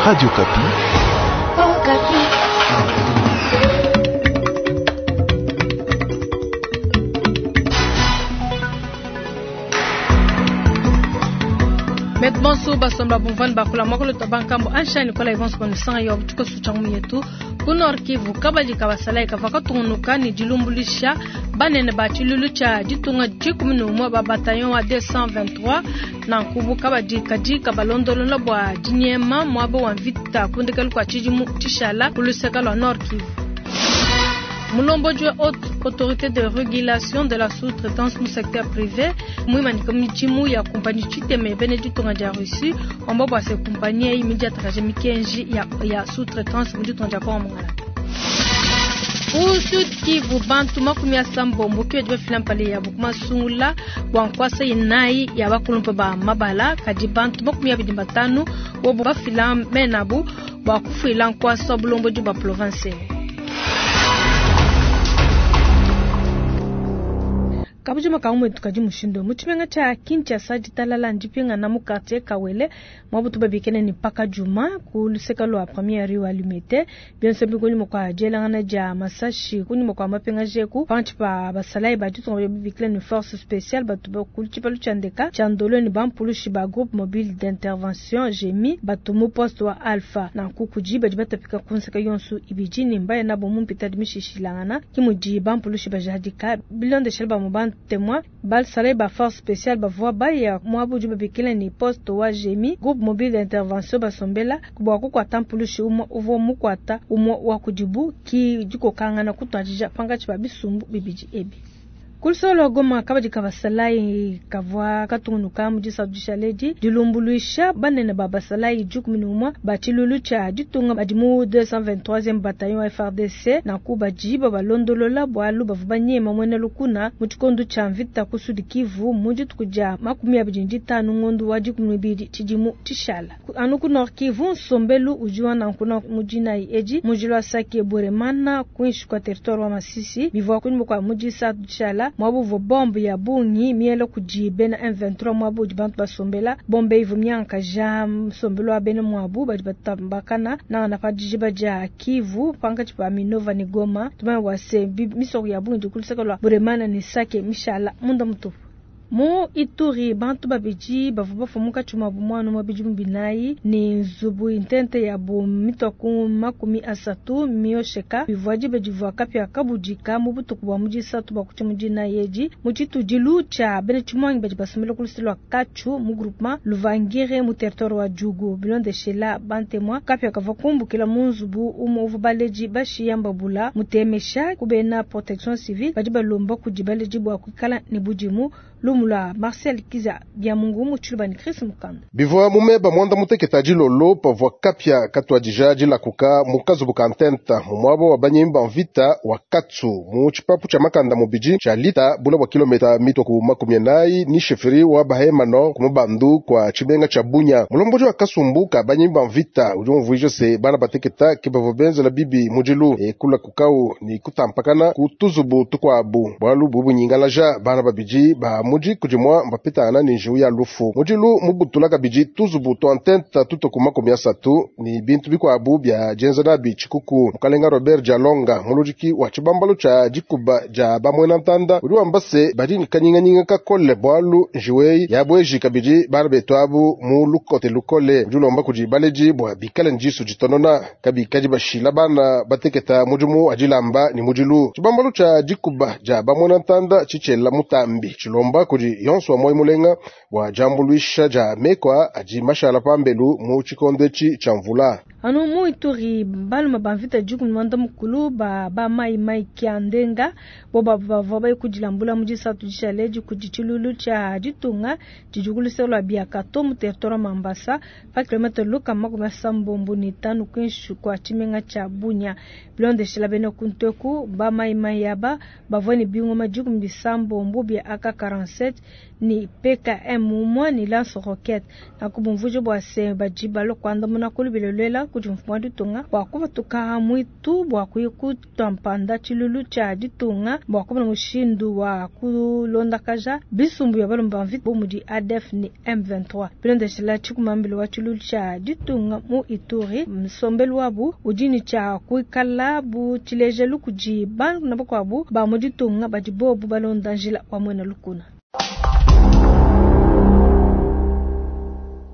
Radio Kapi. Oh, Kapi. Betu bonso basomba bumvani bakula mwakolo twa bankambo ansha Nicolas Evans banisanga yo tshikoso tshia ngumu yetu ku Nord Kivu kabadi ka basalayi kavua katungunuka ne dilumbuluisha banene ba tshiluilu tshia ditunga 11 ba bataillon wa 223 nanku bu kabadi kadi kabalondolola bua dinyema muaba wa mvita ku ndekelu kua tshidimu tshishala ku luseka lua Nord Kivu. Mulombodi wa Haute Autorité de Régulation de la Sous-traitance mu secteur privé muimanyika midimu ya kumpanyi tshitema ya bena ditunga dia Russie wamba bua se kumpanyi eyi midiatakaje mikenji ya, ya sous-traitance mu ditunga dia Congo Mongala. Ku Sud Kivu bantu 80 ke badi bafila mpala yabu ku masungula bua nkuasa inayi ya bakulumpe ba mabala kadi bantu 25 bobu bafila menabu bua kufuila nkuasa wa bulombodi bua province. Kabujima ka umwe tukadi mushindu mu tshimenga tshia Kinshasa ditalala ndipingana mu quartier Kawele mwabutu babikene ni paka juma ku luseka lua première rue wa Limete bionso bikunyuma kwa dielangana dia masashi kunyuma kwa mapenga jeku pantshi pa basalayi ba ditunga babikile ni force spéciale batu ba ku tshipalu tshia ndeka tshia ndolo ni bampulushi ba groupe mobile d'intervention GMI batu mu poste wa Alpha nanku kudi badi batapika ku nseka yonso ibidi ni mbaya nabo mu mpita dimishishilangana kimudi bampulushi bajadika bilondeshela ba mu bantu témoin basalayi ba force spéciale bavua baya muabu udi babikila ni poste wa GMI groupe mobile d'intervention basombela bua kukuata mpulushi umue uvua mukuata umue wa kudibu ki dikokangana kutuadija pankatshi pa bisumbu bibidi ebi. Kulusolo Goma kabadi ka basalayi kavua katungunuka mu disatu dishaledi dilumbuluisha banene ba basalayi 11 ba tshiluilu tshia ditunga badi mu 223e bataillon wa FARDC nanku badi babalondolola bualu bavua banyema muena lukuna mu tshikondo tshia mvita ku Sud Kivu mu dituku dia 25 ngondo wa 12 tshidimu tshishala. Anu ku Nord Kivu nsombelu udi wa nanku na mu dinayi edi mu jila wa Sake Bweremana kuinshi kwa territoire wa Masisi bivua kunyuma kwa mu disatu dishala mwabu uvua bombe ya bungi miela kudi bena M23 mwabu udi bantu basombela bombe ivu miankaja nsombelo wa bena mwabu badi batambakana nangana pa dijiba dia Kivu pankatshi pa Minova ni Goma tumanya bua se misoko ya bungi dikuluseka lua Bweremana ni Sake mishala munda mutupu. Mu Ituri bantu babidi bavua bafua munkatshi muabu muana umue bidimu binayi ni nzubu intente yabu mitua ku 30 miosheka bivua diba divua kapia kabudika mu butuku bua mu disatu bua kutshia mu dinayi edi mu tshitudilu tshia bena tshimuangi badi basombela ku luseke lua Katchu mu groupement Luvangire mu territoire wa Djugu. Bilondeshela bantemwa kapia kavua kumbukila mu nzubu umue uvua baledi bashiya mbabula mutemesha ku bena protection civile badi balomba kudi baledi bua kuikala ne budimu. Lumu lua Marcel Kiza Biamungu mu tshiluba ni Chris Mukanda. Bivua mumeba mwanda muteketa dilolo pavua kapia katuadija dilakuka mu kazubu ka ntenta mu muaba wa banyemi ba mvita wa Katsu mu tshipapu tshia makanda mubidi tshia lita bula bua kilomita mitwa ku 40 ni sheferi wa Bahema Nord ku mubandu kwa tshimenga tshia Bunya. Mulombodi wa kasumbu ka banyemi ba mvita udi umvuija se bana bateketa ke bavua benzela bibi mudilu e kula kukau ni kutampakana ku tuzubu tukuabu bualu bubunyingalaja bana babidi ba mudi kudimwa mbapitana ni njiwu ya lufu mudilu mubutula kabidi tuzubu twa ntenta tuto ku 30 ni bintu bikuabu bya dienza nabi tshikuku. Mukalenga Robert Jalonga muludiki wa tshibambalu tshia dikuba dia bamwena ntanda udi wamba se badi ni kanyinganyinga kakole bualu njiwu eyi yabweji kabidi bana betu abu mu lukote lukole. Udi ulomba kudi baledi bua bikale ni disu ditonona kabikadi bashila bana bateketa mudimu wa dilamba ni mudilu. Tshibambalu tshia dikuba dia bamwena ntanda tshitshela mutambi tshilomba kudi yonso wa moyo mulenga bua diambuluisha dia mekwa adi mashala pambelu mu tshikondo etshi tshia mvula. Anu mu Ituri balume ba mvita 11 mukulu ba ba mai mai kia ndenga bo ba bavua baye kudilambula mu disatu dishaledi kudi tshilulu tshia ditunga tshidi ku luseke lua Biakato mu territoire wa Mambasa pa kilomètre luka 85 kuinshi kua tshimenga tshia Bunia. Bilondeshela bena kunteku ba mai mai aba bavua ne bingoma 16 bia AK-47 ni PKM umue ni lance roquette. Naku bumvuije bua se badi balua kuandamuna ku lubilo luela. kudi mfumu wa ditunga bua kupatuka muitu bua kuya kutua mpanda tshiluilu tshia ditunga bua kumona mushindu wa kulondakaja bisumbu bia balomba ba mvita bu mudi ADF ne M23. Bilondeshila tshikumambila wa tshiluilu tshia ditunga mu Ituri, nsombelu wabu udi ne tshia kuikala bu tshilejelu kudi bana bakuabu ba mu ditunga badi bobu balonda njila wa muena lukuna.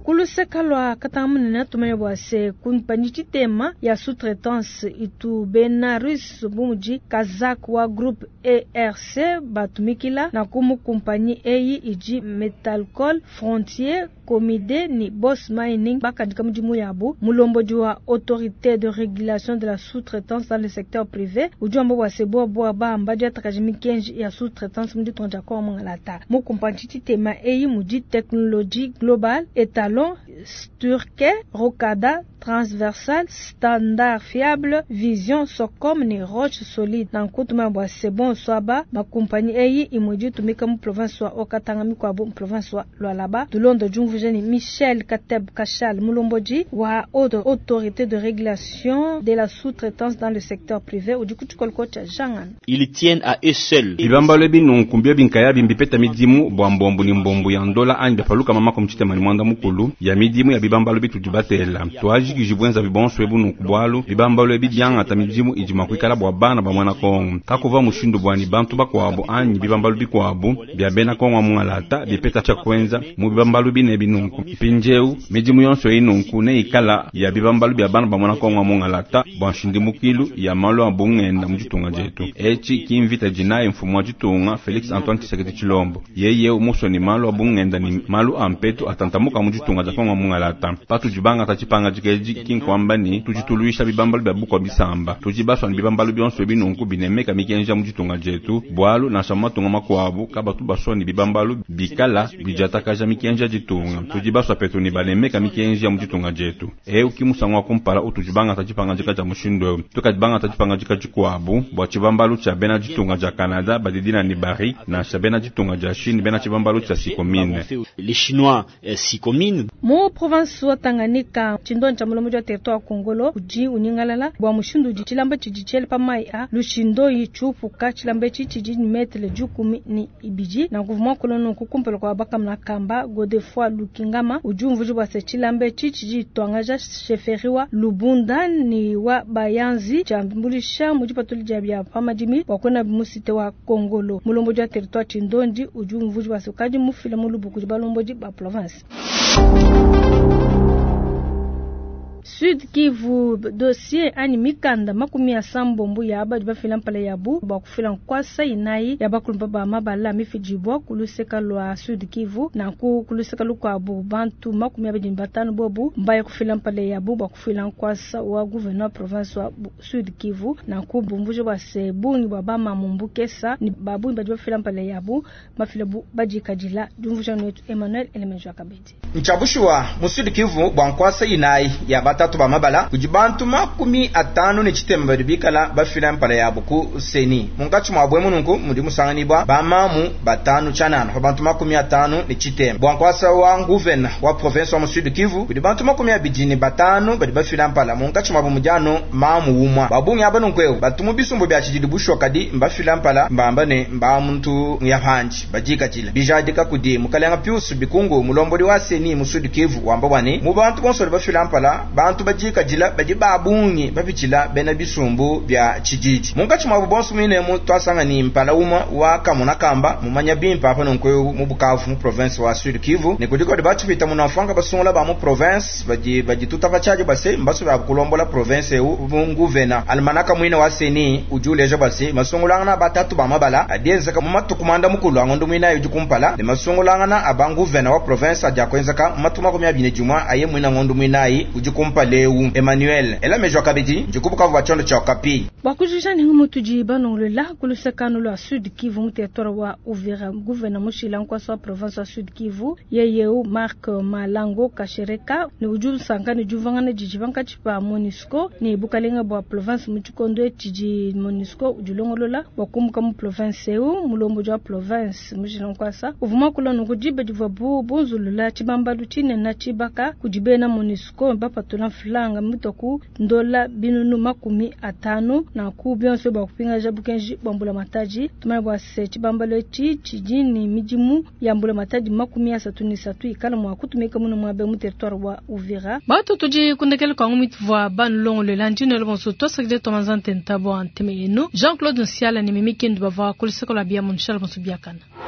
Ku luseka lua Katanga munene tumanye bua se kumpanyi tshitema ya sous-traitance itu bena Russe bu mudi Kazakh wa groupe ERC batumikila nanku mu kumpanyi eyi idi Metalkol, Frontier, Comide ni Boss Mining bakandika mudimu yabu. Mulombodi wa Autorité de régulation de la sous-traitance dans le secteur privé udi wamba bua se bobu aba mbadiatakaje mikenji ya sous-traitance mu ditunga dia Kongo Mungalata. Mu kumpanyi tshitema eyi mudi Technologie Global, Etalon, Sturke, Rocada, Transversal, Standard Fiable, Vision, Socom ni Roche Solide. Nanku tumanye bua se bonso aba bakumpanyi eyi imue idi itumika mu province wa Haut-Katanga mikuabu mu province wa Lualaba. Tulonda diumvuija ni Michel Kateb Kachal, mulombodi wa Haute Autorité de régulation de la sous-traitance dans le secteur privé udi ku tshikoloko tshia Jangana. Ils tiennent à eux seuls. Bibambalo ebi nunku mbio binkayabi mbipeta midimu bua mbombu ne mbombu ya ndola anyi bia paluka mama mtshitema ne mwanda mukulu ya midimu ya bibambalo bitudi batela. Twajikiji bwenza bibonso ebu nunku bwalu bibambalo ebi byangata midimu idi mua kuikala bua bana ba mwana Kongo. Kakuva mushindu bwani bantu bakuabu anyi bibambalo bikuabu bia bena Kongo mungalata bipeta tshia kuenza mu bibambalo bine binunku. Mpindieu midimu yonso eyi nunku neikala ya bibambalo bia bana ba mwana Kongo mungalata bua nshindimukilu ya malu a bungenda mu ditunga dietu. Etshi ki mvita dinayi mfumu wa ditunga Felix Antoine Tshisekedi Tshilombo. Yeye musoni malu a bungenda ni malu a mpetu atantamuka mu ditunga dia Kongo mungalata. Patudi bangata tshipanga dikeji ki nkuamba ni tudi tuluisha bibambalo bia bukua bisamba. Tudi basua ni bibambalo bionso ebi nunku binemeka mikenji ya mu ditunga dietu. Bwalu nansha mu matunga makuabu kabatu basua ni bibambalo bikala bidiatakaja mikenji ya ditunga. Tudi basua petu ni banemeka mikenji ya mu ditunga dietu. Eu ki musangu wa kumpala utudi bangata tshipanga dika dia mushindu eu. Tukadi bangata tshipanga dika dikuabu bua tshibambalu tshia bena ditunga dia Canada badidina ni Barrick nansha bena ditunga dia Chine bena tshibambalu tshia Sicomines. Les Chinois Sicomines. Mu province wa Tanganyika tshindonyi tshia mulombodi wa territoire wa Kongolo udi unyingalala bua mushindu udi tshilamba tshidi tshiele pa mayi a lushindoyi tshiupuka. Tshilamba etshi tshidi ni metre dikumi ni ibidi. Nanku muakulu nunku kumpala kua bakamuna kamba Godefroid Lukingama udi umvuija bua se tshilamba etshi tshidi tuangaja chefferie wa Lubunda ni wa Bayanzi tshiambulisha mu dipatula dia bia pa madimi bua kuena mu site wa Kongolo. Mulombodi wa territoire Tshindondi udi umvuija bua se ukadi mufila mu lubuku kudi balombodi ba province. Sud Kivu dossier anyi mikanda makumi asambombo ya badi bafila mpala yabu bua kufila nkwasa inayi ya bakulumba ba mabala mifidibwa kuluseka lwa Sud Kivu nanku kuluseka lukuabu bantu makumi abidi na batanu bobu mbaya kufila mpala yabu bua kufila nkwasa wa gouverneur province wa Sud Kivu nanku bumvuje bua se bungi bua bama mumbukesa ni babungi badi bafila mpala yabu bafila bu badikadila diumvuja netu Emmanuel Elemenjo Kabedi. Nchabushuwa mu Sud Kivu bua nkwasa inayi ya batatu ba mabala kudi bantu makumi atanu ne tshitema badi bikala bafila mpala yabu ku seni munkatshi mua bwe mununku mudi musanganibwa bamamu batanu tshianana pa bantu makumi atanu ne tshitema bua nkwasa wa nguvena wa province wa mu Sud Kivu kudi bantu makumi abidi ne batanu badi bafila mpala munkatshi mua bumudiano mamu umwa babungi aba nunku ewu batu mu bisumbu bia tshididi bushuwa kadi mbafila mpala mbamba ne mba muntu yapanji badikadila bijadika kudi mukalenga Pius Bikungu mulombodi wa seni mu Sud Kivu wamba bwane mu bantu bonso badi bafila mpala bantu badikadila badi babungi bapitshila bena bisumbu bia tshididi munkatshi mua bonso mwinemu twasanga ni mpala umwe wa kamuna kamba mumanya bimpe apa nunku mu Bukavu mu province wa Sud Kivu ne kudiko batupita munafanga basungula ba mu province badi badituta bachaje base mbaso ba kulombola province eu nguvena almanaka mwine wa seni ujuleja base masungulangana batatu ba mabala adienzeka mu matuku manda mukulu angondo mwina udi kumpala ne masungulangana abanguvena wa province adia kwenzeka mu matuku makumi abiri ne dimue aye mwina ngondo mwinayi udi kumpala eu Emmanuel Elamejo Kabedi ndikubukavu bua tshiondo tshia Okapi. Bua kujikija ne ngumu tudi banongolola ku lusekano lua Sud Kivu mu territoire wa Uvira gouverneur mushila nkwasa wa province wa Sud Kivu yeyeu Marc Malango Kashereka ne udi usanka ne diuvangana didi pankatshi pa MONUSCO ne bukalenga bua province mu tshikondo tshidi MONUSCO udi ulongolola bua kumbuka mu province eu mulombodi wa province mushila nkwasa uvua muakula nunku diba divua bu bunzulula tshibambalu tshinene tshibaka kudi bena MONUSCO bapatula mfranga mitua ku ndola 500.000. Nanku bionso bua kupingaja bukenji bua mbulamatadi. Tumanye bua se tshibambalu etshi tshidi ne midimu ya mbulamatadi 33 ikala mua kutumika muno muaba mu territoire wa Uvira. Batu tudi kundekela kwa ngumi tuvua banulongolola ndino bonso twasakidila twamanza ntenta bua nteme yenu. Jean-Claude Nsiala ne Mimi Kindu bavua ku luseke lua bia mu nshala bonso biakana.